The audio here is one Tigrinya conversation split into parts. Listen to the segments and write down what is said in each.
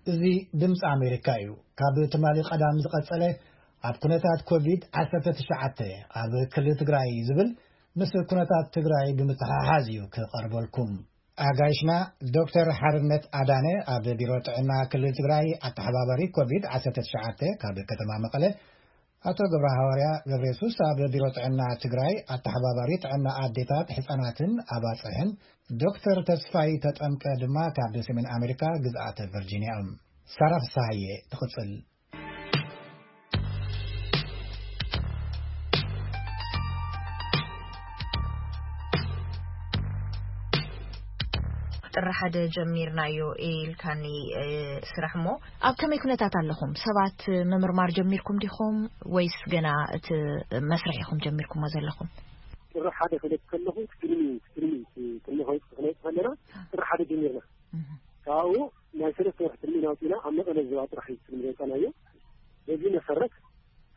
እዚ ድምፂ ኣሜሪካ እዩ። ካብ ትማሊ ቀዳም ዝቐጸለ ኣብ ኩነታት ኮቪድ ዓሰርተ ትሽዓተ ኣብ ክልል ትግራይ ዝብል ምስ ኩነታት ትግራይ ብምትሕሓዝ እዩ ክቐርበልኩም። ኣጋይሽና ዶክተር ሓርነት ኣዳነ ኣብ ቢሮ ጥዕና ክልል ትግራይ ኣተሓባባሪ ኮቪድ ዓሰርተ ትሽዓተ ካብ ከተማ መቐለ፣ ኣቶ ገብረ ሃዋርያ ገብረ የሱስ ኣብ ቢሮ ጥዕና ትግራይ ኣተሓባባሪ ጥዕና ኣዴታት፣ ህፃናትን ኣባፅሕን፣ ዶክተር ተስፋይ ተጠምቀ ድማ ካብ ሰሜን ኣሜሪካ ግዝኣተ ቨርጂኒያ እዮም። ሳራ ፍሳሃየ ትቕፅል። ጥሪ ሓደ ጀሚርናዮ ኢልካኒ፣ እ፣ ስራሕ እሞ ኣብ ከመይ ኩነታት ኣለኹም? ሰባት ምምርማር ጀሚርኩም ዲኹም ወይስ ገና እቲ መስርሕ ኢኹም ጀሚርኩሞ ዘለኹም? ጥሪ ሓደ ክለት ከለኹ ቅድሚ፣ ቅድሚ፣ ቅድሚ ከውፅእ ክነውፅእ ከለና ጥሪ ሓደ ጀሚርና። እህ። ካብኡ ናይ ሰለስተ ወርሒ ትልሚ ናውፂና ኣብ መቐለ ዞባ ጥራሕ እዩ ትልሚ ዘውፃናዮ። በዚ መሰረት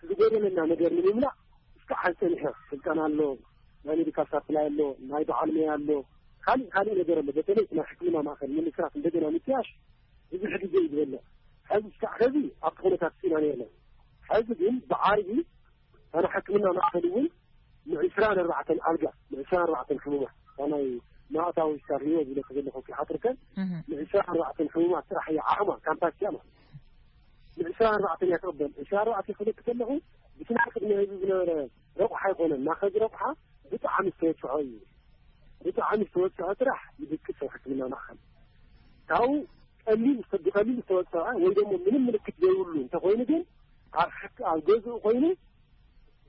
ዝጎደለና ነገር ንምምላእ እስካዕ ሓዚ ጸኒሕና። ስልጠና ኣሎ፣ ናይ ሜዲካል ሳፕላይ ኣሎ፣ ናይ በዓል ሞያ ኣሎ፣ ካልእ ካልእ ነገር ኣሎ። በተለይ ናይ ሕክምና ማእከል ንምስራት እንደገና ምጥያሽ ብዙሕ ግዜ እዩ ዝበልዕ። ሕዚ እስካዕ ሕዚ ኣብቲ ኩነታት ኢና ነርና። ሕዚ ግን ብዓርቢ እታ ናይ ሕክምና ማእከል እውን ንዕስራን ኣርባዕተን ኣልጋ፣ ንዕስራን ኣርባዕተን ሕሙማት፣ እታ ናይ ማእታዊ ሆስፒታል ህይወት ዝለክ ዘለኹ ክሓጥርከን፣ እህ። ንዕስራን ኣርባዕተን ሕሙማት ጥራሕ እያ ዓቕማ፣ ካምፓሲቲኣ ማለት እዩ። ንዕስራን ኣርባዕተን እያ ትቕበል። ዕስራን ኣርባዕተን ክልክ ከለኹ፣ ብቲ ናይ ቅድሚ ህዝቢ ዝነበረ ረቑሓ ኣይኮነን። ናኸዚ ረቑሓ ብጣዕሚ ዝተወስዖ እዩ። ብጣዕሚ ዝተወስዖ ጥራሕ ይድቅስ ኣብ ሕክምና ማእከል። ካብኡ ቀሊል ዝተ-፣ ብቐሊል ዝተወስዐ ወይ ደሞ ምንም ምልክት ዘይብሉ እንተኾይኑ ግን ኣብ ሕክ-፣ ኣብ ገዝኡ ኮይኑ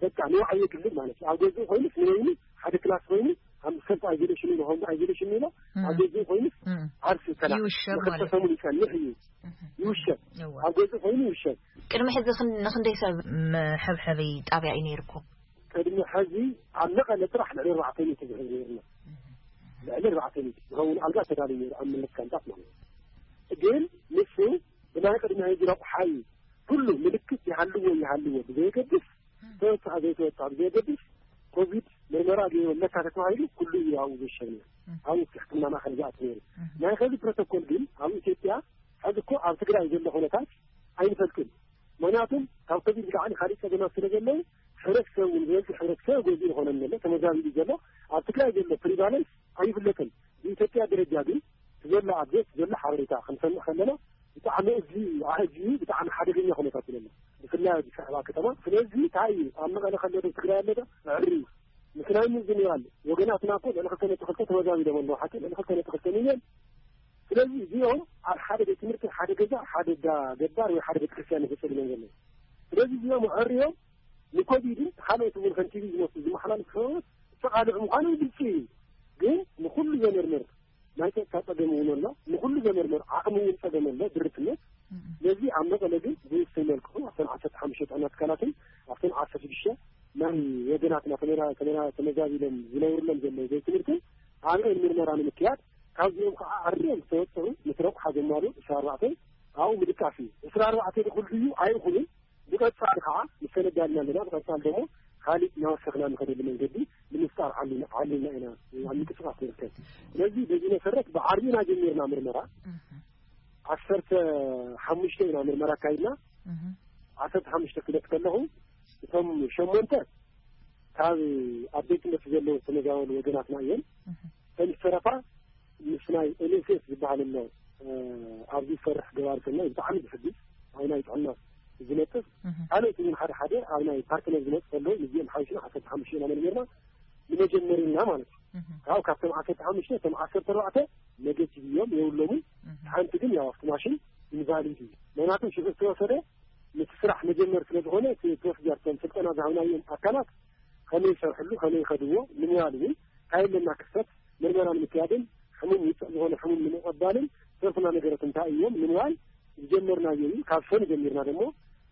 በቃ ንባዕሉ የግልል ማለት እዩ። ኣብ ገዝኡ ኮይኑስ ንበይኑ ሓደ ክላስ ኮይኑ ኣብ ሰልፍ ኣይዞሌሽን ኢሎ፣ ሆም ኣይዞሌሽን ኢሎ፣ እም። ኣብ ገዝኡ ኮይኑስ እም። ዓርሱ ይከላኸል። ይውሸብ ማለት ንክልተ ሰሙን ይጸንሕ እዩ። እህ። ይውሸብ። እዋ። ኣብ ገዝኡ ኮይኑ ይውሸብ። ቅድሚ ሕዚ ክን-፣ ንክንደይ ሰብ መሐብሐቢ ጣብያ እዩ ነይርኩም? ቅድሚ ሕዚ ኣብ መቐለ ጥራሕ ልዕሊ ኣርባዕተ ሚእቲ ዝሕዝ ነይርና። እህ። ልዕሊ ኣርባዕተ ሚእቲ ዝኸውን ኣልጋ ተዳልዩ ነይሩ ኣብ መለስ ካምፓስ ማለት እዩ። ግን ንሱ ብናይ ቅድሚ ሕዚ ረቑሓ እዩ። ኩሉ ምልክት ይሃልዎ ይሃልዎ ብዘየገድስ፣ ተወጽኣ ዘይተወጽኣ ብዘየገድስ፣ ኮቪድ ምርመራ ገይሩ ኣለካ ተተባሂሉ ኩሉ እዩ ኣብኡ ዝሸብ ነይሩ። እም። ኣብኡ እቲ ሕክምና ማእከል ዝኣቱ ነይሩ። እም። ናይ ኸዚ ፕሮቶኮል ግን ኣብ ኢትዮጵያ ሕዚ እኮ ኣብ ትግራይ ዘሎ ኩነታት ኣይንፈልጥን። ምኽንያቱም ካብ ኮቪድ ብላዕሊ ካልእ ጸገማት ስለ ዘለዉ፣ ሕብረተሰብ እውን ዝበዝሕ ሕብረተሰብ ገዝኡ ይኾነን ዘሎ፣ ተመዛቢሉ ዘሎ። ኣብ ትግራይ ዘሎ ፕሪቫለንስ ኣይፍለጥን። ብኢትዮጵያ ደረጃ ግን ዘሎ ኣፕዴት ዘሎ ሓበሬታ ክንሰምዕ ከለና ብጣዕሚ እዚ ኣህጂ ብጣዕሚ ሓደገኛ ኩነታት እዩ ዘሎ። ብፍላይ ኣብዚ ሰዕባ ከተማ። ስለዚ እንታይ እዩ ኣብ መቐለ ከሎ ዶ ትግራይ ኣሎ ዶ? ዕሪ ምስ ናይ ምዝንባል ወገናትና እኮ ልዕሊ ክልተ ነጥቢ ክልተ ተመዛቢሎም ኣለዉ። ሓቂ ልዕሊ ክልተ ነጥቢ ክልተ ሚልዮን። ስለዚ እዚኦም ኣብ ሓደ ቤት ትምህርቲ፣ ሓደ ገዛ፣ ሓደ ዳ ገባር ወይ ሓደ ቤተክርስትያን ይፈጸድሎም ዘለዉ። ስለዚ እዚኦም ኣዕርዮም ንኮቪድን ካልኦት እውን ከም ቲቪ ዝመስሉ ዝመሓላለፉ ሰብኣት ዝተቓልዑ ምዃኖም ግልፂ እዩ። ግን ንኹሉ ዘመርምር ናይ ጸጥታ ጸገም እውን ኣሎ። ንኹሉ ዘመርምር ዓቕሚ እውን ጸገም ኣሎ፣ ድርትነት። እም። ስለዚ ኣብ መቐለ ግን ብውሱን መልክዑ ኣብተን ዓሰርተ ሓሙሽተ ጥዕና ትካላትን ኣብተን ዓሰርተ ሽዱሽተ ናይ ወገናትና ተመራ-፣ ተመራ-፣ ተመዛቢሎም ዝነብሩሎም ዘለዉ ቤት ትምህርትን ኣብአን ምርመራ ንምክያድ፣ ካብዚኦም ከዓ ኣርዮም ዝተወሰኑ ምስ ረቑሓ ዘማልኡ ዕስራ ኣርባዕተ ኣብኡ ምድቃስ እዩ። ዕስራ ኣርባዕተ ድኹል ድዩ ኣይኹንን፣ ብቐጻሊ ከዓ ንሰነዳልና ኣለና። ብቐጻሊ ደሞ ካሊእ እናወሰኽና ንኸደሉ መንገዲ ንምፍጣር ዓሊና፣ ዓሊና ኢና ኣብ ምንቅስቃስ ንርከብ። ስለዚ በዚ መሰረት ብዓርቢ ኢና ጀሚርና ምርመራ። እህ። ዓሰርተ ሓሙሽተ ኢና ምርመራ ኣካይድና። እህ። ዓሰርተ ሓሙሽተ ክለት ከለኹ እቶም ሸሞንተ ካብ ኣብ ቤት ትምህርቲ ዘለዉ ዝተመዛበሉ ወገናትና እዮም። እህ። እተን ዝተረፋ ምስ ናይ ኤን ኤስ ኤስ ዝበሃል ኣሎ፣ እ፣ ኣብዚ ዝሰርሕ ገባሪ ሰናይ ብጣዕሚ ዝሕግዝ ኣብ ናይ ጥዕና ዝነጥፍ፣ እህ። ካልኦት እውን ሓደ ሓደ ኣብ ናይ ፓርትነር ዝመፁ ከለዉ ምስዚኦም ሓዊስና ዓሰርተ ሓሙሽተ ኢና መርሚርና ንመጀመሪ ኢልና ማለት እዩ። እህ። ካብኡ ካብቶም ዓሰርተ ሓሙሽተ እቶም ዓሰርተ ኣርባዕተ ኔጌቲቭ እዮም፣ የብሎምን። እህ። ሓንቲ ግን ያው ኣብቲ ማሽን ኢንቫሊድ እዩ። ምክንያቱ ሽዑ ዝተወሰደ ምስ ስራሕ መጀመር ስለ ዝኾነ እቲ ፕሮሲጀር እቶም ስልጠና ዝሃብናዮም ኣካላት ከመይ ይሰርሕሉ፣ ከመይ ይኸድዎ ንምባል እውን እንታይ ኣለና ክፍተት ምርመራ ንምክያድን ሕሙም ውፅዕ ዝኾነ ሕሙም ንምቕባልን ዝተረፉና ነገራት እንታይ እዮም ንምባል ዝጀመርናዮ እዩ። ካብ ሰኒ ጀሚርና ደሞ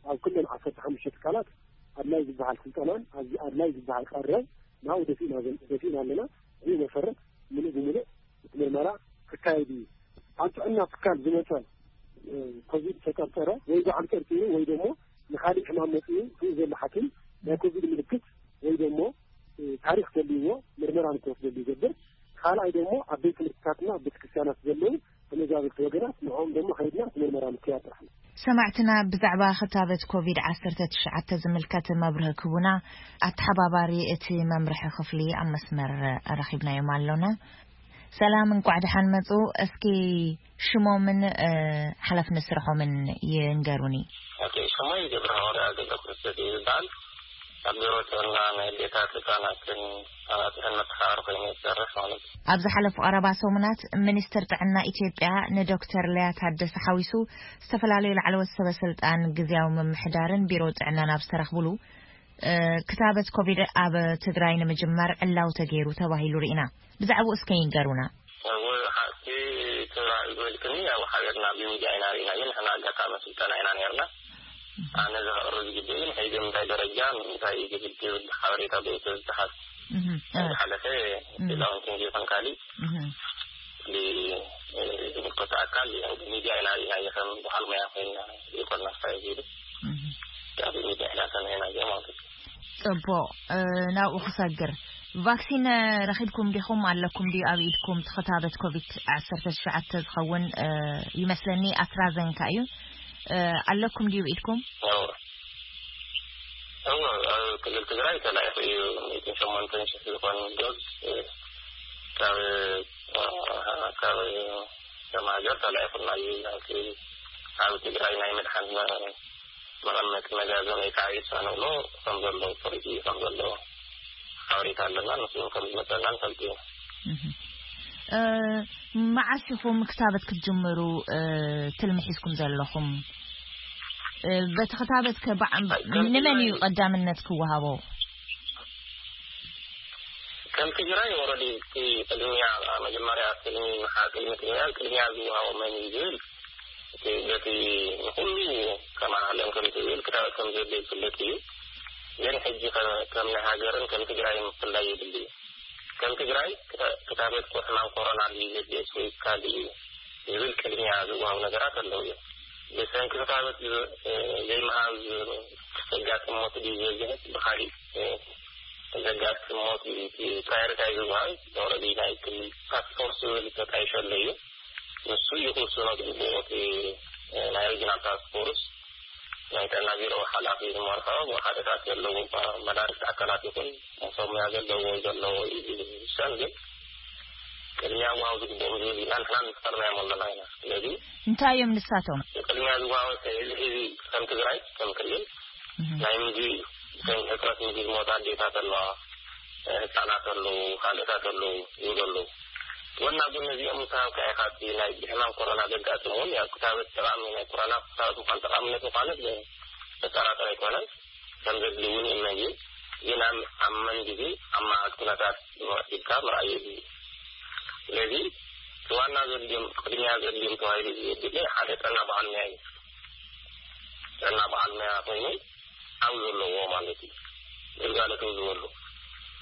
ኣብ ኩለን ዓሰርተ ሓሙሽተ ትካላት ኣድላይ ዝበሃል ስልጠናን ኣብዚ ኣድላይ ዝበሃል ቀረብ ናብኡ ደፊእና ዘን-፣ ደፊእና ኣለና። ብኡ መሰረት ምሉእ ብምሉእ እቲ ምርመራ ክካየድ እዩ። ኣብ ጥዕና ትካል ዝመፀ፣ እ፣ ኮቪድ ተጠርጠረ ወይ በዓል ጠርጢሩ ወይ ደሞ ንኻሊእ ሕማም መፂኡ ብኡ ዘሎ ሓኪም ናይ ኮቪድ ምልክት ወይ ደሞ፣ እ፣ ታሪክ ዘልዎ ምርመራ ንክወስደሉ ይገብር። ካልኣይ ደሞ ኣብ ቤት ትምህርትታትና ኣብ ቤተክርስትያናት ዘለዉ ክታበት ወገናት ንዕኦም ደሞ ከይድና እቲ ምርመራ ምክያድ ጥራሕ እዩ። ሰማዕትና ብዛዕባ ክታበት ኮቪድ ዓሰርተ ትሽዓተ ዝምልከት መብርሂ ክቡና ኣተሓባባሪ እቲ መምርሒ ክፍሊ ኣብ መስመር ረኺብናዮም ኣሎና። ሰላም፣ እንቋዕ ደሓን መጹ። እስኪ ሽሞምን፣ እ፣ ሓላፍነት ስርሖምን ይንገሩኒ። ኦኬ፣ ሽሞይ ገብረሃዋርያ ገብረክርስቶስ እዩ ዝበሃል። ኣብ ቢሮ ጥዕና ናይ ኣዴታት ህጻናትን ኣባጽሕን መተሓባሪ ኮይኑ ይሰርሕ ማለት እዩ። ኣብ ዝሓለፉ ቀረባ ሰሙናት ሚኒስትር ጥዕና ኢትዮጵያ ንዶክተር ሊያ ታደሰ ሓዊሱ ዝተፈላለዩ ላዕለዎት ሰበ ስልጣን ግዝያዊ ምምሕዳርን ቢሮ ጥዕናን ኣብ ዝተረኽብሉ፣ እ፣ ክታበት ኮቪድ ኣብ ትግራይ ንምጅማር ዕላው ተገይሩ ተባሂሉ ርኢና። ብዛዕባኡ እስከ ይንገሩና። እወ፣ ሓቂ ትራይ መልክኒ ያው ሓቢርና ብሚድያ ኢና ርኢና፣ ግን ንሕና ኣጋጣሚ ስልጠና ኢና ነርና። ኣነ ዘቕርብ ዝግብእ ግን ሕጂ እንታይ ደረጃ እንታይ ዝብል ሓበሬታ ብእሱ ዝተሓዝ እህ፣ እ፣ ዝሓለፈ እህ። ሌላውን ክንጌታን ካሊ እህ። ዝምልከቶ ኣካል ያው ብሚድያ ኢና ርኢና፣ ከም በዓል ሞያ ኮይና ይኮና ስታይ ዚሉ እህ። ያው ብሚድያ ኢና ሰሚዕና ማለት እዩ። ጽቡቕ፣ እ፣ ናብኡ ክሰግር። ቫክሲን፣ እ፣ ረኺብኩም ዲኹም? ኣለኩም ድዩ ኣብ ኢድኩም? እቲ ክታበት ኮቪድ ዓሰርተ ትሽዓተ ዝኸውን፣ እ፣ ይመስለኒ ኣስትራዘንካ እዩ። እ፣ ኣለኩም ድዩ ኢድኩም? እወ። እወ፣ ኣብ ክልል ትግራይ ተላኢኹ እዩ። ሚእትን ሸሞንተን ሽሕ ዝኾን ዶዝ፣ እ፣ ካብ፣ እ፣ ካብ ከም ሃገር ተላኢኹና እዩ። ናብቲ ኣብ ትግራይ ናይ መድሓኒት መቐመጢ መጋዘን ወይ ከዓ ኢሳን ንብሎ ከም ዘሎ፣ ፍሪጅ ከም ዘሎ ሓበሬታ ኣለና። ንሱ እውን ከም ዝመፀና ንፈልጥ እዩ። እህ። እ፣ መዓስ ኢኹም ክታበት ክትጅምሩ፣ እ፣ ትልሚ ሒዝኩም ዘለኹም? እ፣ በቲ ክታበት ከ በዓ-፣ ከም ንመን እዩ ትግራይ ቀዳምነት ክወሃቦ? ከም ትግራይ ኦረዲ እቲ ቅድሚያ መጀመርያ ቅድሚ መሓ-፣ ቅድሚ ትግራይ ቅድሚያ ዝወሃቦ መን እዩ ዝብል እቲ በቲ ንኩሉ ከም ዓለም ከም ዝብል ክታበት ከም ዘድልዮ ዝፍለጥ እዩ። ግን ሕጂ ከ-፣ ከም ናይ ሃገርን ከም ትግራይን ምፍላይ የድሊ እዩ። ከም ትግራይ ክታ-፣ ክታበት ኮ-፣ ሕማም ኮሮና ድዩ ዘድልዮ ወይ ካልእ እዩ ዝብል ቅድሚያ ዝወሃቡ ነገራት ኣለዉ እዮም። ብሰንኪ ክታበት ዝ-፣ ዘይምሃብ ዝ-፣ ዘጋጥም ሞት ድዩ ዝበዝሕ ብካሊእ ዘጋጥም ሞት እዩ። እቲ ፕራዮሪታይዝ ዝበሃል ኦረዲ ናይ ክልል ታስክ ፎርስ ዝብል ተጣይሸሉ እዩ። ንሱ እዩ ክውስኖ ዝግብኦ። እቲ ናይ ሪጅናል ታስክ ፎርስ ናይ ጥዕና ቢሮ ሓላፊ ዝመርሖ ሓደታት ዘለዎም መዳርግቲ ኣካላት ይኹን ሰብ ሙያ ዘለዎ ዘለዎ እዩ ዝውሰን። ግን ቅድሚያ ምሃብ ዝግብኦም ዝብል ኢና ንሕና ንፈርናዮም ኣለና ኢና። ስለዚ እንታይ እዮም ንሳቶም? ቅድሚያ ዝወሃቦ እዚ ሕዚ ከም ትግራይ ከም ክልል እህ። ናይ ምግቢ፣ ከም ሕፅረት ምግቢ ዝሞታ ኣዴታት ኣለዋ፣ ህፃናት ኣለዉ፣ ካልኦታት ኣለዉ ይብሉ ኣለዉ። ጎና ጎኒ እዚኦም ምስ ሃብካ ኢኻ እቲ ናይ ብሕማም ኮሮና ዘጋጥም እውን ያው ክታበት ጠቓሚ ናይ ኮሮና ክታበት ምዃን ጠቓምነት ምዃኑ ዘጠራጥር ኣይኮነን። ከም ዘድሊ እውን ይእመን እዩ። ግን ኣብ፣ ኣብ መን ግዜ ኣብ መዓት ኩነታት ኢልካ ምርኣይ የድሊ። ስለዚ እቲ ዋና ዘድልዮም፣ ቅድሚያ ዘድልዮም ተባሂሉ ዘድሊ ሓደ ጥዕና በዓል ሞያ እዩ። ጥዕና በዓል ሞያ ኮይኑ ኣብ ዘለዎ ማለት እዩ። ግልጋሎት ዝህበሉ።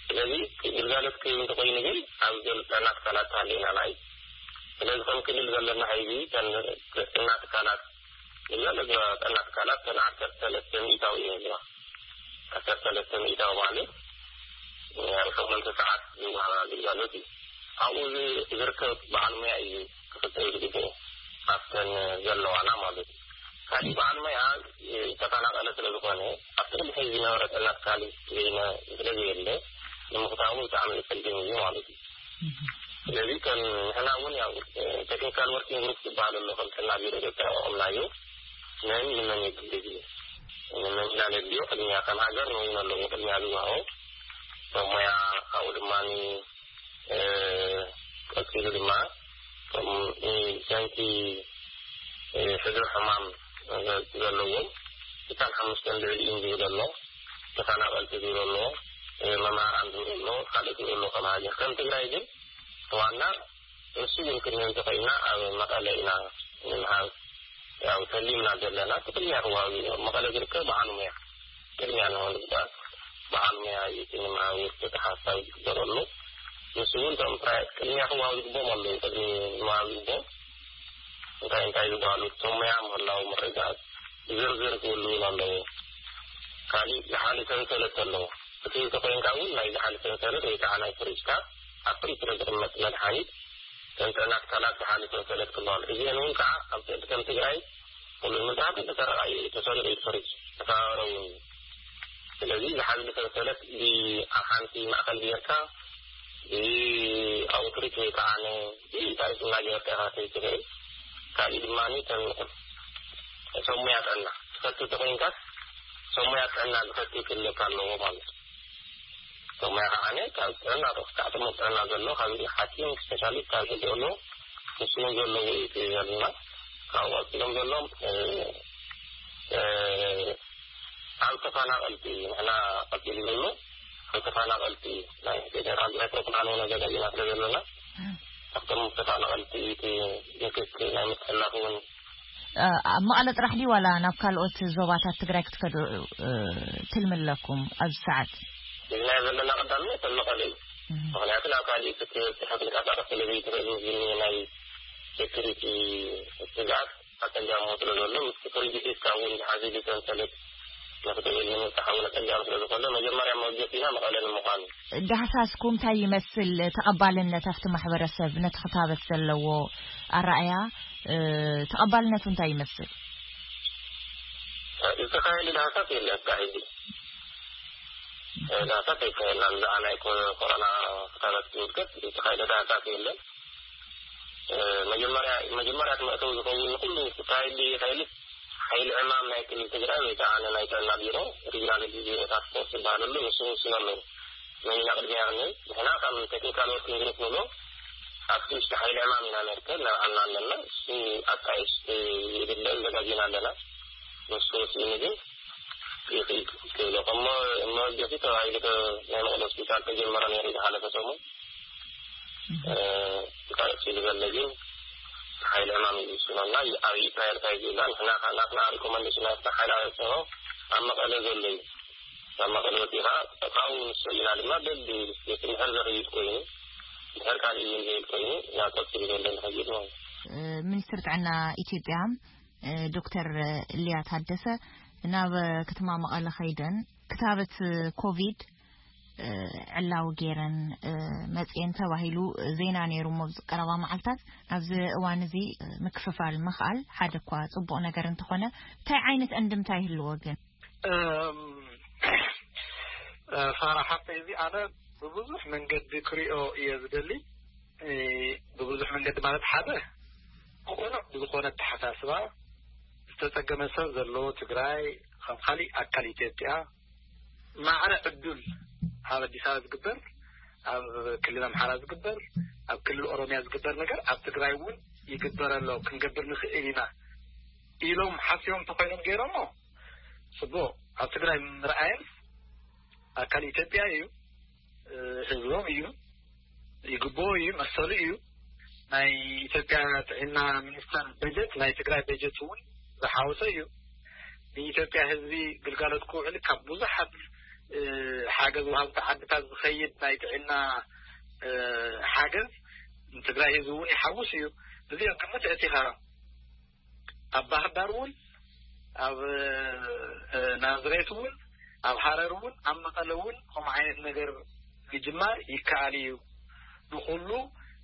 ስለዚ ግልጋሎት ክህብ እንተኮይኑ ግን ኣብ ዘል-፣ ጥዕና ትካላት ተሃልዩና ናይ፣ ስለዚ ከም ክልል ዘለና ሕዚ ተን-፣ ጥዕና ትካላት፣ ግልጋሎት ጥዕና ትካላት ተን ዓሰርተ ሰለስተ ሚእታዊ እየን ዘለዋ። ዓሰርተ ሰለስተ ሚእታዊ ማለት ኣብ ሸሞንተ ሰዓት ዝወሃብ ግልጋሎት እዩ። ኣብኡ ዝ-፣ ዝርከብ በዓል ሞያ እዩ ክፍጠር ዝግብኦ፣ ኣብተን ዘለዋና ማለት እዩ። ካሊእ በዓል ሞያ ዝተፈናቐለ ስለ ዝኾነ፣ ኣብቲ ቅድሚ ሕዚ ዝነበረ ጥዕና ትካል ዘይነ-፣ ስለ ዘየለ፣ ንምኽታሙ ብጣዕሚ ዘጸግም እዩ ማለት እዩ። ስለዚ ከም ንሕና እውን ያው ቴክኒካል ወርኪንግ ግሩፕ ዝበሃል ኣሎ፣ ከም ጥዕና ቢሮ ኢትዮጵያ ኣቋቑምናዮ። መን ንመን የድሊ እዩ? ንመን ኢና ነድልዮ? ቅድሚያ ከም ሃገር ንውን ኣለዎ ቅድሚያ ዝወሃቦ ሰብ ሞያ፣ ካብኡ ድማ እ፣ ቀጺሉ ድማ፣ እቶም፣ እ፣ ብሰንኪ፣ እ፣ ሕዱር ሕማም ዘለዎም፣ ስሳን ሓሙሽተን ልዕሊኡን ዝብል ኣሎ፣ ተፈናቐልቲ ዝብል ኣሎ፣ እ፣ መምህራን ዝብል ኣሎ፣ ካልእ ዝብል ኣሎ። ከም ሃገር፣ ከም ትግራይ ግን ዋና ንሱ ግን ክንብል እንተኾይንና ኣብ መቐለ ኢና ንምሃብ ያው ተሊምና ዘለና። እቲ ቅድሚያ ክወሃብ እዩ። ኣብ መቐለ ዝርከብ በዓል ሞያ ቅድሚያ ንኽወሃብ ዝግባእ በዓል ሞያ እዩ። እቲ ንምሃብ ውፅኢት ሓሳብ ዝግበረሉ ንሱ እውን እቶም ፕራይ-፣ ቅድሚያ ክወሃብ ዝግብኦም ኣለዉ። ቅድሚ ምሃብ ዝግብኦም እንታይ እንታይ ዝበሃሉ እቶም ሞያ ምህላው ምርግጋፅ ዝርዝር ክህሉ እውን ኣለዎ። ካሊእ ዝሓሊ ሰንሰለት ኣለዎ። እቲ እንተኮይንካ እውን ናይ ዝሓሊ ሰንሰለት ወይ ከዓ ናይ ፍሪጅካ ኣብ ፍሪጅ ስለ ዝቕመጥ መድሓኒት ከም ጥዕና ትካላት ዝሓለፈ ሰለት ክበሃል። እዚአን እውን ከዓ ኣብ ከም ትግራይ ኩሉ ምንታት ተሰረቃ እዩ፣ ተሰሪቁ እዩ፣ ተፈሪሱ ተሰባበረ እውን እዩ። ስለዚ ዝሓለፈ ሰለት ብሓንቲ ማእከል ጌርካ ብኣውትሪት ወይ ከዓ ንኢንታሪት እናገበርካ ኢኻ ትኽእል። ካልእ ድማ ከም ሰብ ሞያ ጥዕና ትፈቱ ተኮይንካስ ሰብ ሞያ ጥዕና ዝፈቱ ክህልወካ ኣለዎ ማለት እዩ። ሰብ ሞያ ከዓ ካብ ጥዕና ዶ ክሳዕ ጥሙር ጥዕና ዘሎ ካብ ሓኪም ስፔሻሊስት ካብ ዘለዎ ንስዎም ዘለዎ እዩ እቲ ዘለና። ካብኡ ቀፂሎም ዘሎ ኣብ ተፈናቐልቲ ንሕና ቀፂሉ ዘሎ ኣብ ተፈናቐልቲ ናይ ፌደራል ናይ ፕሮግራም እውን ኣዘጋጅና ስለ ዘለና ኣብቶም ተፈናቐልቲ እቲ ምክት ናይ ምትሕላፍ እውን ኣብ መቐለ ጥራሕ ድዩ ዋላ ናብ ካልኦት ዞባታት ትግራይ ክትከዱ ትልሚ ኣለኩም ኣብዚ ሰዓት? ሒዝናዮ ዘለና ቀዳምነት ኣብ መቐለ እዩ። ምክንያቱ ናብ ካሊእ ክትበፅሕ ክንቀሳቀስ ስለ ዘይትኽእል ምስ ዝኒሀ ናይ ሴኩሪቲ ስግኣት ኣፀጋሚ ስለ ዘሎ ምስ ፕሪቪቲስካ እውን ዝሓዘ ሰንሰለት ንክትብል ንምብፃሕ እውን ኣፀጋሚ ስለ ዝኾነ መጀመርያ መወገሲና መቐለ ንምዃን እዩ። ዳህሳስኩም እንታይ ይመስል? ተቐባልነት ኣብቲ ማሕበረሰብ ነቲ ክታበት ዘለዎ ኣረኣያ ተቐባልነቱ እንታይ ይመስል? ዝተኻየደ ዳህሳስ የለን እስካብ ሕጂ። ዳህሳስ ኣይካየድናን። ብዛዕባ ናይ ኮሮና ክታበት ዝምልከት ዝተኻየደ ዳህሳስ የለን። መጀመርያ መጀመርያ መእተዊ ዝኸውን ንኩሉ ክካየድ ይኽእል ሓይሊ ዕማም ናይ ክልል ትግራይ ወይ ከዓ ንናይ ጥዕና ቢሮ ሪጅናል ዲዚዝ ታስክ ፎርስ ዝበሃለሉ ንሱ ውስን ኣለዉ። መን ኢና ቅድሚያ ክንብል ንሕና ከም ቴክኒካል ወርኪንግ ግሩፕ ንብሎ ኣብቲ ውሽጢ ሓይሊ ዕማም ኢና ነርከብ ነብዓልና ኣለና። እሱ ኣጣይሽ ይድለ ዘጋጅና ኣለና። ንሱ ወሲኑ ግን ይኽእል ክብሎ ከሞ መወገሲ ተባሂሉ ናይ መቐለ ሆስፒታል ተጀመረ ነይሩ ዝሓለፈ ሰሙን እንታይ እሱ ዝበለ ግን ሓይሊ ዕማም እዩ ዝስኖና ኣብይ ፕራዮሪታይዝ ኢልና ንሕና ናትና ሪኮመንዴሽን ናትና ሓይሊ ኣበሰሆ ኣብ መቐለ ዘሎ እዩ። ኣብ መቐለ ወፂኻ ካብኡ ንሱ ኢና ድማ በቢ ስቴት እንድሕር ዘኽይድ ኮይኑ እንድሕር ካልእ እዩ ዝብል ኮይኑ ናብ ቀፂሉ ዘሎ ንኸይድ ማለት እዩ። ሚኒስትር ጥዕና ኢትዮጵያ ዶክተር ሊያ ታደሰ ናብ ከተማ መቐለ ከይደን ክታበት ኮቪድ ዕላዊ ገይረን መፅኤን ተባሂሉ ዜና ነይሩ እሞ ኣብዚ ቀረባ መዓልታት። ኣብዚ እዋን እዚ ምክፍፋል ምኽኣል ሓደ እኳ ፅቡቕ ነገር እንተኾነ እንታይ ዓይነት ዕንድምታ ይህልዎ ግን? ፋራ ሓፍተይ እዚ ኣነ ብብዙሕ መንገዲ ክሪኦ እየ ዝደሊ። ብብዙሕ መንገዲ ማለት ሓደ ቅኑዕ ብዝኾነ ኣተሓሳስባ ዝተፀገመ ሰብ ዘለዎ ትግራይ ከም ካሊእ ኣካል ኢትዮጵያ ማዕረ ዕዱል ኣብ ኣዲስ ኣበባ ዝግበር ኣብ ክልል ኣምሓራ ዝግበር ኣብ ክልል ኦሮሚያ ዝግበር ነገር ኣብ ትግራይ እውን ይግበር ኣሎ ክንገብር ንኽእል ኢና ኢሎም ሓሲቦም ተኮይኖም ገይሮሞ ፅቡቅ ኣብ ትግራይ ምርኣየን ኣካል ኢትዮጵያ እዩ ህዝቦም እዩ ይግብኦ እዩ መሰሉ እዩ ናይ ኢትዮጵያ ጥዕና ሚኒስተር በጀት ናይ ትግራይ በጀት እውን ዝሓወሰ እዩ ንኢትዮጵያ ህዝቢ ግልጋሎት ክውዕል ካብ ብዙሓት ሓገዝ ውሃብቲ ዓድታት ዝኸይድ ናይ ጥዕና ሓገዝ ንትግራይ ህዝቢ እውን ይሓውስ እዩ እዚኦም ግምት እቲኻ ኣብ ባህርዳር እውን ኣብ ናዝሬት እውን ኣብ ሃረር እውን ኣብ መቐለ እውን ከምኡ ዓይነት ነገር ምጅማር ይከኣል እዩ ንኩሉ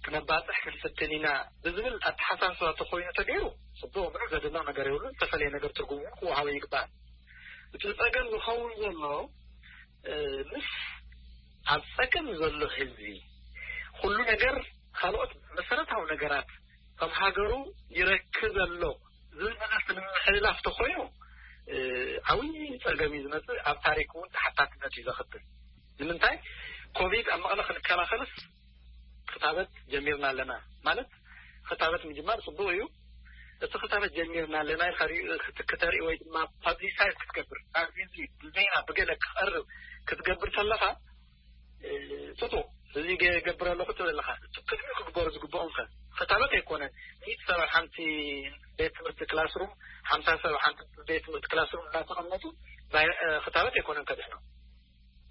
ክነባፅሕ ክንፍትን ኢና ብዝብል ኣተሓሳስባ ተኮይኑ ተገይሩ ፅቡቅ ምንም ዘደንቕ ነገር የብሉን ዝተፈለየ ነገር ትርጉም እውን ክወሃቦ ይግባእ እቲ ፀገም ዝኸውን ዘሎ ምስ ኣብ ፀገም ዘሎ ህዝቢ ኩሉ ነገር ካልኦት መሰረታዊ ነገራት ከም ሃገሩ ይረክብ ዘሎ ዝብል ነገር ንምሕልላፍ ተኮይኑ ዓብዪ ፀገም እዩ ዝመፅእ ኣብ ታሪክ እውን ተሓታትነት እዩ ዘኽትል ንምንታይ ኮቪድ ኣብ መቐለ ክንከላኸልስ ክታበት ጀሚርና ኣለና ማለት ክታበት ምጅማር ፅቡቅ እዩ እቲ ክታበት ጀሚርና ኣለና ኢልካ ክትክተርኢ ወይ ድማ ፓብሊሳይዝ ክትገብር ብዜና ብገለ ክቐርብ ክትገብር ከለካ ፅቡቅ እዚ ገብር ኣለኩ ትብል ኣለካ እቲ ቅድሚኡ ክግበሩ ዝግብኦም ከ ክታበት ኣይኮነን ሚእቲ ሰብ ኣብ ሓንቲ ቤት ትምህርቲ ክላስሩም ሓምሳ ሰብ ኣብ ሓንቲ ቤት ትምህርቲ ክላስሩም እናተቐመጡ ክታበት ኣይኮነን ከድሕኖም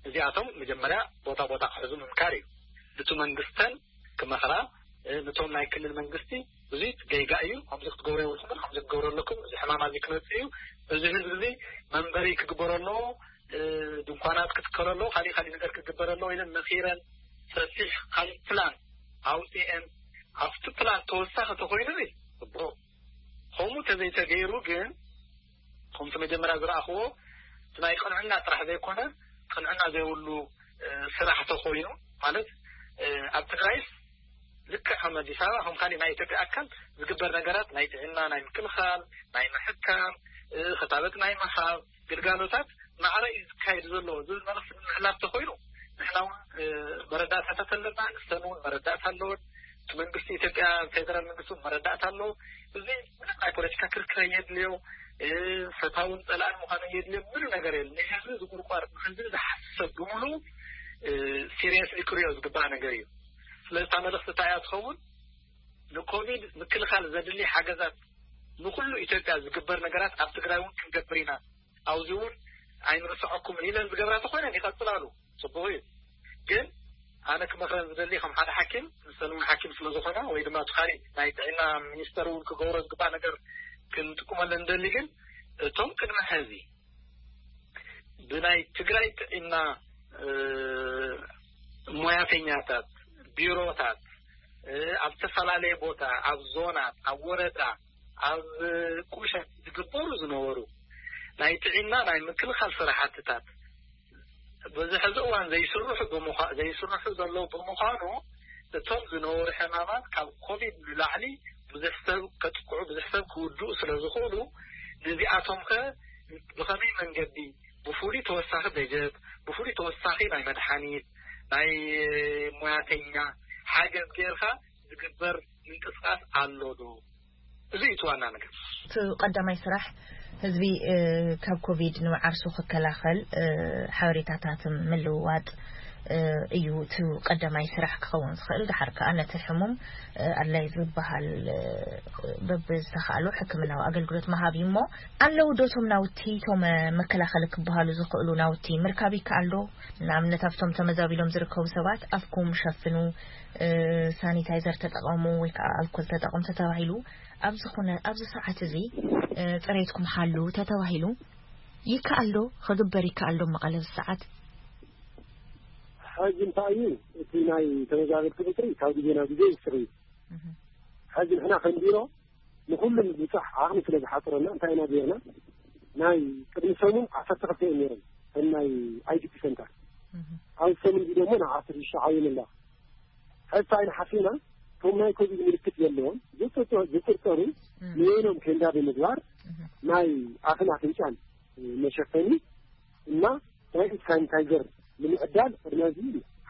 እዚኣቶም መጀመርያ ቦታ ቦታ ክሕዙ ምምካር እዩ ንቱ መንግስተን ክመኽራ ነቶም ናይ ክልል መንግስቲ ብዙይ ገይጋ እዩ ከምዚ ክትገብሩ የብልኩም ከምዚ ክትገብሩ ኣለኩም እዚ ሕማም ኣዚ ክመፅእ እዩ እዚ ህዝቢ እዚ መንበሪ ክግበረሎ ድንኳናት ክትከለሎ ካሊእ ካሊእ ነገር ክግበረሎ ኢለን መኺረን ሰፊሕ ካሊእ ፕላን ኣውፅኤን ኣብቲ ፕላን ተወሳኺ ተኾይኑ ሲ ጽቡቕ። ከምኡ ተዘይተገይሩ ግን፣ ከምቲ መጀመርያ ዝረኣኽዎ፣ እቲ ናይ ቅንዕና ጥራሕ ዘይኮነ፣ ቅንዕና ዘይብሉ፣ እ፣ ስራሕ ተኾይኑ፣ ማለት፣ እ፣ ኣብ ትግራይስ ልክዕ ከም ኣዲስ ኣበባ፣ ከም ካሊእ ናይ ኢትዮጵያ ኣካል ዝግበር ነገራት፣ ናይ ጥዕና፣ ናይ ምክልኻል፣ ናይ ምሕካም፣ እ፣ ክታበት ናይ ምሃብ ግልጋሎታት ማዕረ እዩ ዝካየድ ዘሎ ዝብል መልእኽቲ ንምሕላፍ ተኾይኑ፣ ንሕና እውን፣ እ፣ መረዳእታታት ኣለና፣ ንሰን እውን መረዳእታ ኣለወን። እቲ መንግስቲ ኢትዮጵያ፣ ፌደራል መንግስቲ እውን መረዳእታ ኣለዎ። እዚ ምንም ናይ ፖለቲካ ክርክር ኣየድልዮ፣ እ፣ ፈታውን ጸላእን ምዃኑ ኣየድልዮ፣ ምንም ነገር የለን። ንህዝቢ ዝቁርቋር፣ ንህዝቢ ዝሓስብ ሰብ ብምሉኡ፣ እ፣ ሲሪየስሊ ክሪኦ ዝግባእ ነገር እዩ። ስለዚ እታ መልእኽቲ እንታይ እያ ትኸውን? ንኮቪድ ምክልኻል ዘድሊ ሓገዛት፣ ንኹሉ ኢትዮጵያ ዝግበር ነገራት ኣብ ትግራይ እውን ክንገብር ኢና። ኣብዚ እውን ኣይንርስዐኩምን ኢለን ዝገብራ ተኾይነን ይቐጽላሉ። ጽቡቕ እዩ። ግን ኣነ ክመኽረን ዝደሊ ከም ሓደ ሓኪም፣ ንሰን እውን ሓኪም ስለ ዝኾና፣ ወይ ድማ እቲ ካሊእ ናይ ጥዕና ሚኒስተር እውን ክገብሮ ዝግባእ ነገር ክንጥቀመለን ንደሊ። ግን እቶም ቅድሚ ሕዚ ብናይ ትግራይ ጥዕና፣ እ፣ ሞያተኛታት፣ ቢሮታት፣ እ፣ ኣብ ዝተፈላለየ ቦታ፣ ኣብ ዞናት፣ ኣብ ወረዳ፣ ኣብ ቁሸት ዝግበሩ ዝነበሩ ናይ ጥዕና ናይ ምክልኻል ስራሕትታት በዚ ሕዚ እዋን ዘይስርሑ ብምዃ-፣ ዘይስርሑ ዘለዉ ብምዃኑ፣ እቶም ዝነበሩ ሕማማት ካብ ኮቪድ ንላዕሊ ብዙሕ ሰብ ከጥቅዑ፣ ብዙሕ ሰብ ክውድኡ ስለ ዝኽእሉ፣ ነዚኣቶም ከ ብኸመይ መንገዲ፣ ብፍሉይ ተወሳኺ በጀት፣ ብፍሉይ ተወሳኺ ናይ መድሓኒት፣ ናይ ሞያተኛ ሓገዝ ጌርካ ዝግበር ምንቅስቃስ ኣሎ ዶ? እዚ እዩ እቲ ዋና ነገር። እቲ ቀዳማይ ስራሕ ህዝቢ፣ እ፣ ካብ ኮቪድ ንዓርሱ ክከላኸል፣ እ፣ ሓበሬታታት ምልውዋጥ፣ እ፣ እዩ እቲ ቀዳማይ ስራሕ ክኸውን ዝኽእል። ድሓር ከኣ ነቲ ሕሙም፣ እ፣ ኣድላይ ዝበሃል፣ እ፣ በብዝተኻእሎ ሕክምናዊ ኣገልግሎት ምሃብ እዩ። እሞ ኣለዉ ዶ እቶም ናውቲ፣ እቶም፣ እ፣ መከላኸሊ ክበሃሉ ዝኽእሉ ናውቲ ምርካብ ይከኣል ዶ? ንኣብነት ኣብቶም ተመዛቢሎም ዝርከቡ ሰባት ኣፍኩም ሸፍኑ፣ እ፣ ሳኒታይዘር ተጠቐሙ ወይ ከዓ ኣልኮል ተጠቐሙ ተተባሂሉ፣ ኣብዚ ኩነ-፣ ኣብዚ ሰዓት እዚ፣ እ፣ ጽሬትኩም ሓሉ ተተባሂሉ ይከኣል ዶ? ክግበር ይከኣል ዶ መቐለ ኣብዚ ሰዓት? ሕጂ እንታይ እዩ፣ እቲ ናይ ተመዛበልቲ ቁጽሪ ካብ ግዜ ናብ ግዜ ይውስኽ እዩ። እህ። ሕጂ ንሕና ከም ቢሮ ንኹሉ ምብጻሕ ዓቕሚ ስለ ዝሓጽረና እንታይ ኢና ጌርና? ናይ ቅድሚ ሰሙን ዓሰርተ ክልተ እዮም ነይሮም፣ እቶም ናይ ኣይ ዲ ፒ ሰንተር። እህ። ኣብዚ ሰሙን እዚ ደሞ ንዓሰርተ ሽዱሽተ ዓብዮም ኣለዋ። ሕጂ እንታይ ኢና ሓሲብና? እቶም ናይ ኮቪድ ምልክት ዘለዎም ዝጥርጠ-፣ ዝጥርጠሩ እህ። ንበይኖም ኬንዳ ብምግባር እህ። ናይ ኣፍን ኣፍንጫን መሸፈኒ እና ናይ ኢድ ሳኒታይዘር ንምዕዳል ቅድሚ ሕጂ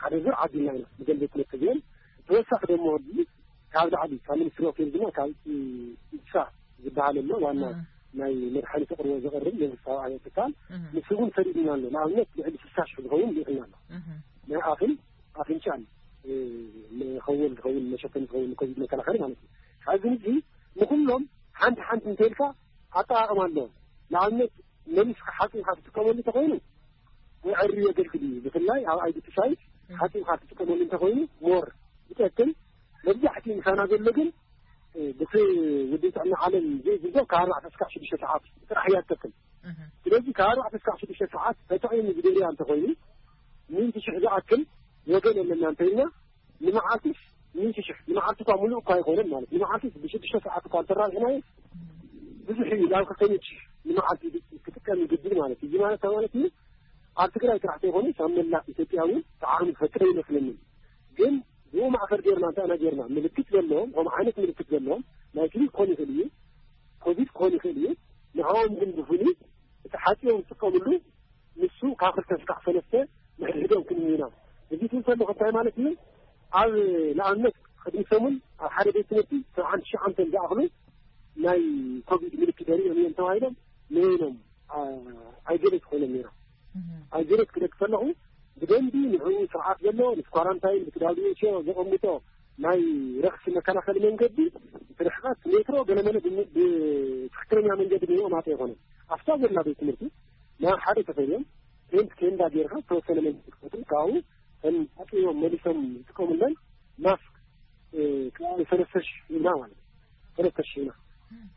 ሓደ ዙር ዓዲልና ኢና፣ ብደንበ ትምህርቲ ግን ተወሳኺ ደሞ ሕጂ ካብ ላዕሊ ካብ ሚኒስትሪ ኦፍ ሄልዝ ድማ ካብ ኢድሳ ዝበሃል ኣሎ፣ ዋና እም። ናይ መድሓኒት ኣቕርቦ ዘቕርብ መንግስታዊ ኣየር ትካል፣ እም። ንሱ እውን ሰዲድና ኣሎ። ንኣብነት ልዕሊ ስሳ ሽሕ ዝኸውን ልኢኽና ኣሎ። እም። ናይ ኣፍን ኣፍንጫን፣ እ፣ መኸወል ዝኸውን፣ መሸፈኒ ዝኸውን ኮቪድ መከላኸሊ ማለት እዩ። ካብዚ ንድሒ ንኹሎም ሓንቲ ሓንቲ እንተኢልካ ኣጠቓቕማ ኣለዎም። ንኣብነት መሊስካ ሓጺብካ ትጥቀመሉ እንተኾይኑ፣ ንዕሪ የገልግል እዩ። ብፍላይ ኣብ ኣይ ዲ ፒ ሳይት እም። ሓጺብካ ትጥቀመሉ እንተኾይኑ ሞር ይጠቅም። መብዛሕትኡ ምሳና ዘሎ ግን፣ እ፣ ብቲ ውድብ ጥዕና ዓለም ዘይብሎ ካብ ኣርባዕተ እስካብ ሽዱሽተ ሰዓት ጥራሕ እያ ትጠቅም። እህ። ስለዚ ካብ ኣርባዕተ እስካብ ሽዱሽተ ሰዓት ተጠቒሙ ዝደልያ እንተኾይኑ፣ ሚእቲ ሽሕ ዝኣክል ወገን ኣለና እንተኢልና፣ ንመዓልቲስ ሚእቲ ሽሕ፣ ንመዓልቲ እኳ ሙሉእ እኳ ኣይኮነን ማለት፣ ንመዓልቲስ ብሽዱሽተ ሰዓት እኳ እንተራብሕናዮ፣ ብዙሕ እዩ፣ ናብ ክልተ ሚእቲ ሽሕ ንመዓልቲ ክጥቀም ይግድድ ማለት እዩ። እዚ ማለት እንታይ ማለት እዩ? ኣብ ትግራይ ጥራሕ ዘይኮነስ ኣብ መላእ ኢትዮጵያ እውን ጣዕሚ ዝፈጥር ኣይመስለንን። ግን ብኡ ማእከል ጌርና እንታይ ኢና ጌርና? ምልክት ዘለዎም፣ ከምኡ ዓይነት ምልክት ዘለዎም፣ ናይ ግሪክ ክኾን ይኽእል እዩ፣ ኮቪድ ክኾን ይኽእል እዩ። ንዕኦም ግን ብፍሉይ እቲ ሓፂቦም ዝጥቀምሉ ንሱ ካብ ክልተ ስካዕ ሰለስተ ንሕድሕዶም ክንምና። እዚ ትብል ከለኹ እንታይ ማለት እዩ? ኣብ ንኣብነት ቅድሚ ሰሙን ኣብ ሓደ ቤት ትምህርቲ ሰብዓን ትሽዓንተን ዝኣኽሉ ናይ ኮቪድ ምልክት የርእዮም እዮም ተባሂሎም ንበይኖም፣ አ፣ ኣይዞሌት ኮይኖም ነይሮም። እህ። ኣይዞሌት ክደቂ ከለኹ ብደንቢ ንዕኡ ስርዓት ዘለዎ ምስ ኳራንታይን ምስ ዳብሊው ኤች ኦ ዘቐምጦ ናይ ረኽሲ መከላኸሊ መንገዲ ርሕቐት ሜትሮ ገለመለ ብም-፣ ብትኽክለኛ መንገዲ ንዕኦም ኣጥ ኣይኮነን። ኣብታ ዘላ ቤት ትምህርቲ ናብ ሓደ ተፈልዮም ቴንት ቴንዳ ጌርካ ዝተወሰነ መንገዲ ክፈጥሩ ካብኡ ከም ኣጥዮም መሊሶም ዝጥቀሙለን ማስክ፣ እ፣ ካብ ሰለስተ ሽሕ ሂብና ማለት እዩ። ሰለስተ ሽሕ ሂብና።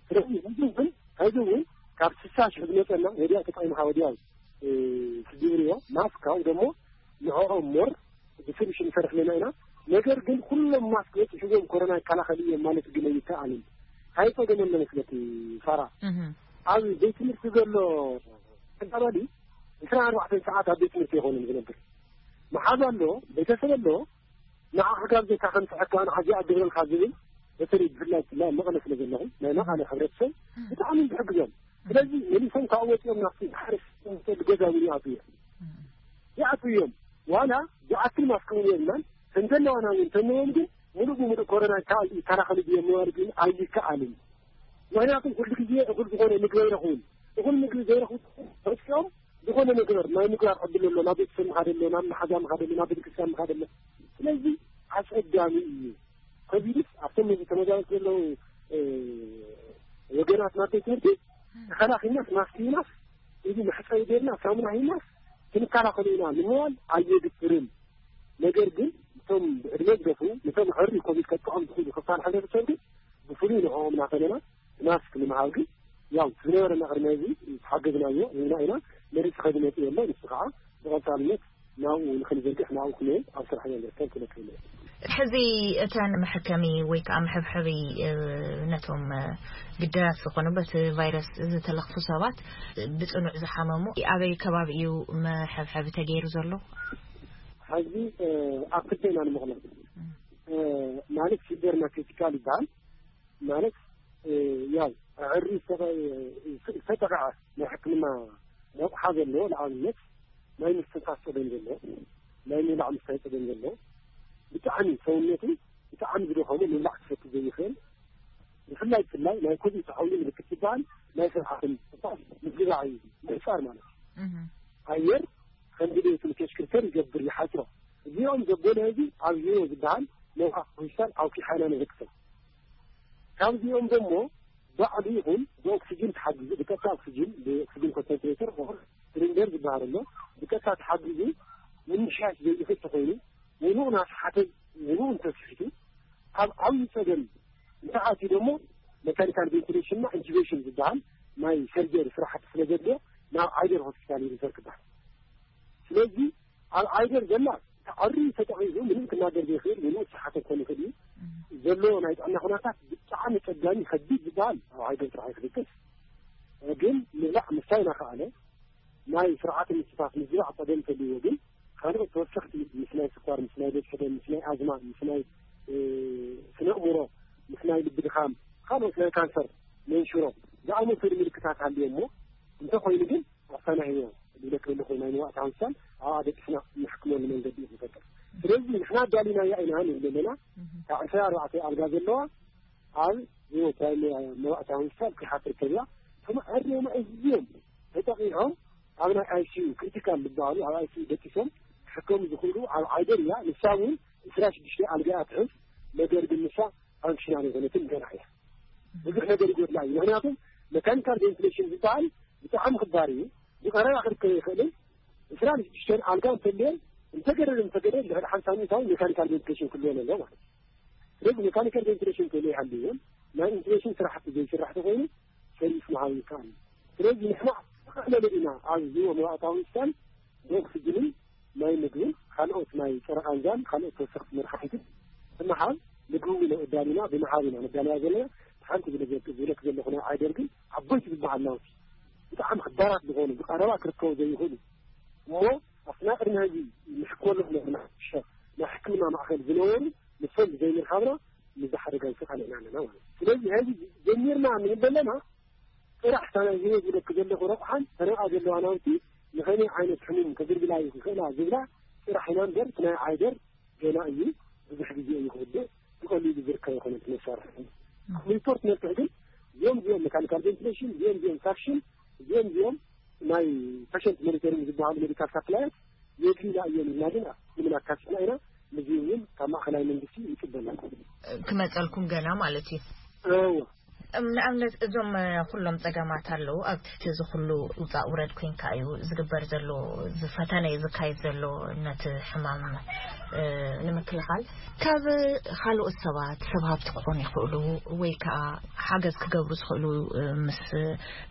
ስለዚ ህዝቢ እውን፣ ህዝቢ እውን ካብ ስሳ ሽሕ ዝመፀና ወዲያው ተጠቒምካ ወዲያው፣ እ፣ ትጅብርዮ ማስክ ካብኡ ደሞ ንዕኦም ሞር ብስሉሽ ንሰርሕ ኣለና ኢና። ነገር ግን ኩሎም ማስክ በፂሕዎም ኮሮና ይከላኸል እዮም ማለት ግን ኣይከኣልን። እንታይ ፀገም ኣሎ መስለኪ ሳራ? ኣብ ቤት ትምህርቲ ዘሎ ተጋባሊ ዕስራን ኣርባዕተን ሰዓት ኣብ ቤት ትምህርቲ ይኾንን ዝነብር። መሓዝ ኣሎ፣ ቤተሰብ ኣሎ፣ ንዓ ክጋብዘካ ከምፅሐካ ንዓዚ ኣገብረልካ ዝብል፣ በተለይ ብፍላይ ብፍላይ መቐለ ስለ ዘለኹ ናይ መቐለ ሕብረተሰብ ብጣዕሚ ዝሕግዞም። ስለዚ መሊሶም ካብ ወፂኦም ናብቲ ሓረስ ገዛ እውን ይኣትዉ እዮም። ይኣትዉ እዮም። ዋላ ዝኣክል ማስክ እውን የብልናን። ከም ዘለዋና እውን እንተለዎም ግን ሙሉእ ብሙሉእ ኮሮና ይከላኸሉ ድዮም ምባል ግን ኣይከኣልን። ምክንያቱም ኩሉ ግዜ እኹል ዝኾነ ምግቢ ኣይረኽቡን። እኹል ምግቢ ዘይረኽቡ መፅኦም ዝኾነ ነገር ናይ ምግባር ዕድል ኣሎ። ናብ ቤተሰብ ምኻድ ኣሎ፣ ናብ መሓዛ ምኻድ ኣሎ፣ ናብ ቤተክርስትያን ምኻድ ኣሎ። ስለዚ ኣፀጋሚ እዩ። ኮቪድስ ኣብቶም ነዚ ተመዛበልቲ ዘለዉ ወገናት ናብ ቤት ትምህርቲ ተኸላኺልናስ ማስክ ሂናስ እዚ መሕፀቢ ጌርና ሳሙና ሂናስ ክንከላኸሉ ኢና ንምባል ኣየግብርን። ነገር ግን እቶም ብዕድመ ዝገፉ ነቶም ዕሪ ኮቪድ ከጥቅዖም ዝኽእሉ ክፋል ሕብረተሰብ ግን ብፍሉይ ንዕኦም እናፈለና ማስክ ንምሃብ ግን ያው ዝነበረና ቅድሚ እዚ ዝሓገዝናዮ ህዝብና ኢና። መሪፅ ከዝመፅ የሎ ንሱ ከዓ ብቐፃልነት ናብኡ ንክንዘርግሕ ናብኡ ክንብል ኣብ ስራሕ ኢና ንርከብ ክለክል። ሕዚ እተን መሐከሚ ወይ ከዓ መሐብሐቢ ነቶም ግዳያት ዝኾኑ በቲ ቫይረስ ዝተለኽፉ ሰባት ብፅኑዕ ዝሓመሙ ኣበይ ከባቢ እዩ መሐብሐቢ ተገይሩ ዘሎ? ሕዚ ኣብ ክልተ ኢና ንምቕሎም። ማለት ሲልቨር እና ክሪቲካል ይበሃል። ማለት ያው ዕሪ ዝተጠቕዐ ናይ ሕክምና ረቑሓ ዘለዎ ንኣብነት ናይ ምስትንፋስ ፀገም ዘለዎ ናይ ምብላዕ ምስታይ ፀገም ዘለዎ ብጣዕሚ ሰውነቱ ብጣዕሚ ዝደኸሙ ምብላዕ ክሰቲ ዘይኽእል ብፍላይ ብፍላይ ናይ ኮቪድ ተዓውዩ ምልክት ዝበሃል ናይ ስርዓትን ምዝባዕ እዩ ምሕፃር ማለት እዩ። ኣየር ከም ድሌቱ ንከሽክርከር ይገብር ይሓፅሮ። እዚኦም ዘበለ ህዚ ኣብ ሂሮ ዝበሃል ነውዓ ሆስፒታል ኣውኪሓና ንህቅሰብ ካብዚኦም ደሞ ባዕሉ ይኹን ብኦክሲጅን ተሓጊዙ ብቀጥታ ኦክሲጅን ብኦክሲጅን ኮንሰንትሬተር ኦር ሲሊንደር ዝበሃል ኣሎ ብቀጥታ ተሓጊዙ ምምሻሽ ዘይኽእል ተኾይኑ ውኑኡ ናስሓተ ውኑኡ እንተስሒቱ ኣብ ዓብዪ ፀገም እንተኣትዩ ደሞ መካኒካል ቬንቲሌሽንና ኢንቱቤሽን ዝበሃል ናይ ሰርጀሪ ስራሕቲ ስለ ዘድልዮ ናብ ዓይደር ሆስፒታል እዩ ሪፈር ክበሃል። ስለዚ ኣብ ዓይደር ዘላ ተዓሪ ተጠቒሱ ምንም ክናገር ዘይኽእል ምንም ክሰሓተ ክኾን ይኽእል እዩ። ዘሎ ናይ ጥዕና ኩነታት ብጣዕሚ ጸጋሚ ከቢድ ዝበሃል ኣብ ዓይደር ጥራሕ ክድቅስ ግን ምብላዕ ምስታይ እናኸኣለ ናይ ስርዓተ ምስትንፋስ ምዝባዕ ጸገም እንተልይዎ ግን ካልኦት ተወሰኽቲ ምስ ናይ ስኳር፣ ምስ ናይ ደም ሕደም፣ ምስ ናይ ኣዝማ፣ ምስ ናይ ስነ ኣእምሮ፣ ምስ ናይ ልቢ ድኻም፣ ካልኦት ናይ ካንሰር መንሽሮ ዝኣመሰሉ ምልክታት ሃልዮ እሞ እንተኾይኑ ግን ኣሳናህዮ ኢለ ክብል ኮይኑ ናይ መዋእታ ሆስፒታል ኣብኣ ደቂስና ንሕክመሉ መንገዲ እዩ ዝፈጥር። ስለዚ ንሕና ኣዳሊናያ ኢና ንብል ኣለና። ካብ ዕስራ ኣርባዕተ ኣልጋ ዘለዋ ኣብ ህይወት ናይ መዋእታ ሆስፒታል ክሓፍር ከብላ ተማዕሪዮም ኣዝዮም ተጠቂዖም ኣብ ናይ ኣይሲዩ ክሪቲካል ዝበሃሉ ኣብ ኣይሲዩ ደቂሶም ክሕከሙ ዝኽእሉ ኣብ ዓይደር እያ። ንሳ እውን ዕስራ ሽዱሽተ ኣልጋ እያ ትሕዝ። ነገር ግን ንሳ ፋንክሽናል የኮነትን ገና እያ። ብዙሕ ነገር ይጎድላ እዩ። ምክንያቱም መካኒካል ቬንቲሌሽን ዝበሃል ብጣዕሚ ክባር እዩ። ብቐረባ ክርከብ ይኽእልን ዕስራን ሽዱሽተን ኣልጋ እንተልየን እንተገደደ እንተገደ ልዕሊ ሓምሳ ሚእታዊ ሜካኒካል ቬንቲሌሽን ክልወን ኣሎ ማለት እዩ። ስለዚ ሜካኒካል ቬንቲሌሽን እንተዘይሃልይዎን ናይ ኢንቲሌሽን ስራሕቲ ዘይስራሕ ተኮይኑ ሰርቪስ ምሃብ ይከኣል እዩ። ስለዚ ንሕና ተቐለለ ኢና ኣብ ህዝቢ መባእታዊ ሆስፒታል ብኦክስጅንን ናይ ምግብን ካልኦት ናይ ፀረ ቃንዛን ካልኦት ተወሰኽቲ መድሓኒትን ብምሃብ ምግቢ እውን ኣዳሊና ብምሃብ ኢና ነዳልያ ዘለና። ሓንቲ ዝለዘ- ዝብለክ ዘለኹ ናይ ዓይደር ግን ዓበይቲ ዝበሃል ናውቲ ብጣዕሚ ክባራት ዝኾኑ ብቐረባ ክርከቡ ዘይኽእሉ እሞ ኣብቲ ናይ ቅድሚ ሕዚ ንሕክመሎም ዘለና ናይ ሕክምና ማእኸል ዝነበሩ ንሶም ብዘይምርካብና ንዚ ሓደጋ ይስቃል ኢና ኣለና ማለት እዩ። ስለዚ ሕዚ ጀሚርና ንብል ዘለና ጥራሕ እታ ናይ ህይወት ዝለክ ዘለኹ ረቑሓን ተነቃ ዘለዋ ናውቲ ንኸመይ ዓይነት ሕሙም ከግልግላ ይኽእላ ዝብላ ጥራሕ ኢና እምበር እቲ ናይ ዓይደር ገና እዩ። ብዙሕ ግዜ እዩ ክውድእ ብቐሊሉ ዝርከብ ኣይኮነን እቲ መሳርሒ። ሪፖርት ነብትሕ ግን እዚኦም እዚኦም ሜካኒካል ቬንቲሌሽን እዚኦም እዚኦም ሳክሽን እዚኦም እዚኦም ናይ ፔሸንት ሞኒተሪንግ ዝበሃሉ ሜዲካል ሳፕላያት የድልዩና እዮም ኢልና ግን ምንም ኣካሲና ኢና። እዚ እውን ካብ ማእኸላይ መንግስቲ ይፅበና። ክመፀልኩም ገና ማለት እዩ። እዎ። እም፣ ንኣብነት እዞም እ፣ ኩሎም ፀገማት ኣለዉ። ኣብ ትሕቲ እዚ ኩሉ ውፃእ ውረድ ኮይንካ እዩ ዝግበር ዘሎ፣ ዝፈተነ እዩ ዝካየድ ዘሎ ነቲ ሕማም እ፣ ንምክልኻል። ካብ ካልኦት ሰባት ሰብ ሃብቲ ክኾኑ ይኽእሉ ወይ ከዓ ሓገዝ ክገብሩ ዝኽእሉ እ፣ ምስ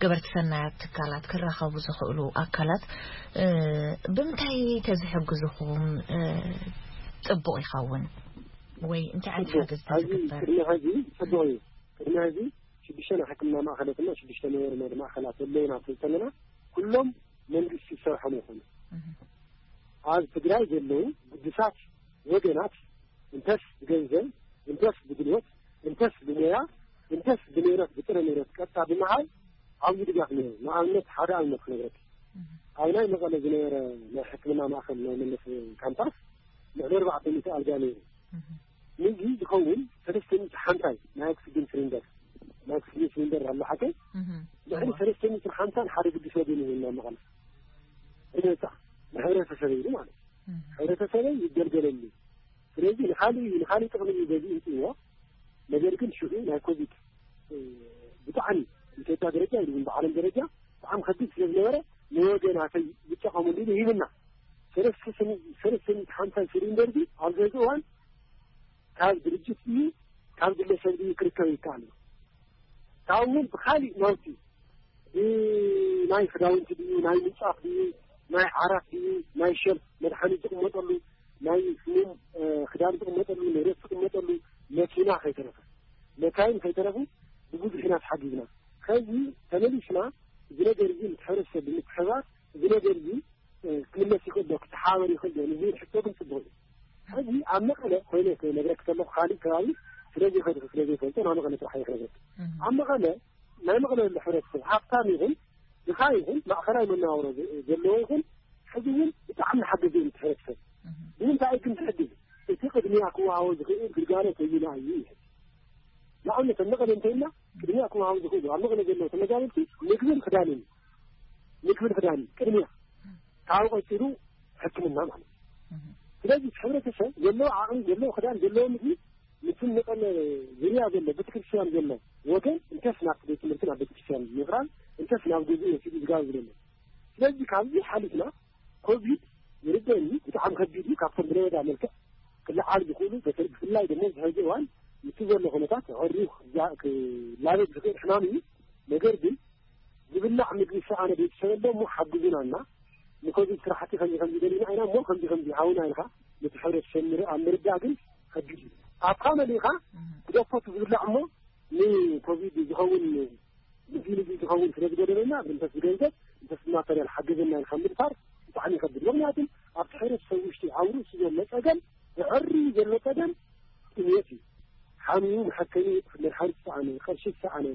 ገበርቲ ሰናያት ትካላት ክራኸቡ ዝኽእሉ ኣካላት እ፣ ብምንታይ ተዝሕግዝኹም እ፣ ፅቡቕ ይኸውን? ወይ እንታይ ዓይነት ሓገዝ ተዝግበር? ቅድሚ ሕዚ ጽቡቕ እዩ። ቅድሚ ሕዚ ሽዱሽተ ናይ ሕክምና ማእኸላት እና ሽዱሽተ መንበሪ ማእኸላት ኣለውና ተንተለና ኩሎም መንግስቲ ዝሰርሖም ይኾኑ። ኣብ ትግራይ ዘለዉ ግዱሳት ወገናት እንተስ ብገንዘብ፣ እንተስ ብጉልበት፣ እንተስ ብሞያ፣ እንተስ ብንብረት፣ ብጥረ ንብረት ቀጥታ ብምሃብ ዓብዪ ድጋፍ ነይሩ። ንኣብነት ሓደ ኣብነት ክነግረካ። ኣብ ናይ መቐለ ዝነበረ ናይ ሕክምና ማእኸል ናይ መለስ ካምፓስ ልዕሊ ኣርባዕተ ሚእቲ ኣልጋ ነይሩ። ምግቢ ዝኸውን ሰለስተ ሚእቲ ሓምሳይ ናይ ኦክሲጅን ሲሊንደር፣ ናይ ኦክሲጅን ሲሊንደር ኣሎ ሓቀይ። ልዕሊ ሰለስተ ሚእቲ ሓምሳን ሓደ ግዱስ ወገን ይህና መቐለ ነፃ ንሕብረተሰብ ኢሉ ማለት እዩ። ሕብረተሰበይ ይገልገለሉ። ስለዚ ንኻሊእ እዩ ንኻሊእ ጥቕሚ እዩ በዚ እንፅዎ። ነገር ግን ሽዑ ናይ ኮቪድ ብጣዕሚ ኢትዮጵያ ደረጃ ኢሉ ብዓለም ደረጃ ብጣዕሚ ከቢድ ስለ ዝነበረ ንወገናተይ ዝጠቐሙሉ ኢሉ ሂብና። ሰለስተ ሚእቲ ሓምሳ ሲሊንደር ዚ ኣብ ዘዚ እዋን ካብ ድርጅት እዩ ካብ ግለሰብ እዩ ክርከብ ይከኣል እዩ። ካብ እውን ብካሊእ ናውቲ ናይ ክዳውንቲ ድዩ ናይ ምንፃፍ ድዩ ናይ ዓራት ድዩ ናይ ሸልፍ መድሓኒት ዝቕመጠሉ ናይ ስሙም ክዳን ዝቕመጠሉ ንብረት ዝቕመጠሉ መኪና ከይተረፈ መካይን ከይተረፉ ብብዙሕ ኢና ተሓጊዝና። ከዚ ተመሊስና እዚ ነገር እዚ ምስ ሕብረተሰብ ብምትሕባር እዚ ነገር እዚ ክምለስ ይኽእል ዶ ክተሓባበር ይኽእል ዶ ንዝብል ሕቶ ግን ፅቡቕ እዩ። ሕዚ ኣብ መቐለ ኮይነ ክነግረክ ከለኹ ካሊእ ከባቢ ስለዘይኸድኩ ስለዘይፈልጦ ናብ መቐለ ጥራሕ እየ ክነግረክ። ኣብ መቐለ ናይ መቐለ ዘሎ ሕብረተሰብ ሃብታም ይኹን ድኻ ይኹን ማእኸላይ መነባብሮ ዘለዎ ይኹን ሕዚ እውን ብጣዕሚ ሓገዘ እዩ እቲ ሕብረተሰብ። ንምንታይ ግን ትሕግዝ እቲ ቅድሚያ ክወሃቦ ዝኽእል ግልጋሎት ኣየና እዩ ይሕዝ። ንኣብነት ኣብ መቐለ እንተይልና ቅድሚያ ክወሃቡ ዝኽእሉ ኣብ መቐለ ዘለዉ ተመዛበልቲ ምግብን ክዳንን ምግብን ክዳንን ቅድሚያ ካብኡ ቀፂሉ ሕክምና ማለት እዩ። ስለዚ እቲ ሕብረተሰብ ዘለዎ ዓቕሚ ዘለዎ ክዳን ዘለዎ ምግቢ ምስቲ መቐለ ዝርያ ዘሎ ቤተክርስትያን ዘሎ ወገን እንተስ ናብቲ ቤት ትምህርቲ ናብ ቤተክርስትያን ምቕራብ እንተስ ናብ ገዝኡ ወሲዱ ዝጋብዝ ዘሎ። ስለዚ ካብዚ ሓሊፍና ኮቪድ ይርደኒ ብጣዕሚ ከቢድ እዩ። ካብቶም ብለበዳ መልክዕ ክለዓል ዝኽእሉ ብፍላይ ድማ ዝሕዚ እዋን ምስቲ ዘሎ ኩነታት ኣዕርዩ ክላበድ ዝኽእል ሕማም እዩ። ነገር ግን ዝብላዕ ምግቢ ዝሰኣነ ቤተሰብ ኣሎ እሞ ሓግዙና እና ንኮቪድ ስራሕቲ ከምዚ ከምዚ ደሊና ኢና እሞ ከምዚ ከምዚ ሃውና ኢልካ ነቲ ሕብረተሰብ ኣብ ምርዳእ ግን ከቢድ እዩ። ኣብካ መሊእካ ክደፈቱ ዝብላዕ እሞ ንኮቪድ ዝኸውን እዚ ንዚ ዝኸውን ስለ ዝገደበና እንተስ ብገንዘብ እንተስ ብማተርያል ሓገዘና ኢልካ ምድፋር ብጣዕሚ ይከብድ። ምክንያቱም ኣብቲ ሕብረተሰብ ውሽጢ ኣብ ርእሱ ዘሎ ፀገም ብዕሪ ዘሎ ፀገም ጥሜት እዩ። ሓሚሙ መሐከሚ መድሓኒት ዝሰኣነ፣ ቅርሺ ዝሰኣነ፣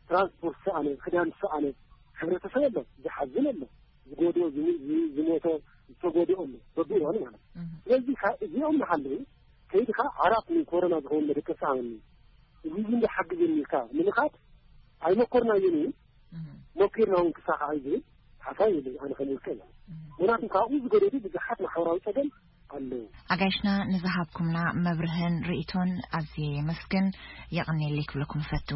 ትራንስፖርት ዝሰኣነ፣ ክዳን ዝሰኣነ ሕብረተሰብ ኣሎ። ዝሓዝን ኣሎ። ዝጎድኦ ዝሞቶ ዝተጎድኦ ኣሎ በብእዋኑ ማለት እዩ። ስለዚ እዚኦም ንሃለዉ ከይድካ ዓራት ንኮሮና ዝኸውን መደቀሲ ሃበኒ እዚ ዝንዶ ሓግዘኒ ኢልካ ንምኻድ ኣይመኮርናዮን እዩ። ሞኪርና እውን ክሳኻዕ ዝብል ሓሳብ የለይ ኣነ ከም ውልቀ እያ። ምክንያቱም ካብኡ ዝገደዱ ብዙሓት ማሕበራዊ ፀገም ኣለዉ። ኣጋይሽና ንዝሃብኩምና መብርህን ርእቶን ኣዝየ የመስግን። የቐንየለይ ክብለኩም እፈቱ።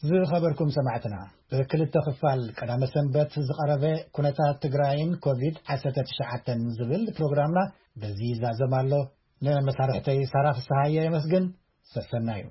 ዝኸበርኩም ሰማዕትና፣ ብክልተ ክፋል ቀዳመ ሰንበት ዝቐረበ ኩነታት ትግራይን ኮቪድ ዓሰርተ ትሽዓተ ዝብል ፕሮግራምና በዚ ይዛዘም ኣሎ። ንመሳርሕተይ ሳራ ፍስሃየ የመስግን። ሰሰናዩ።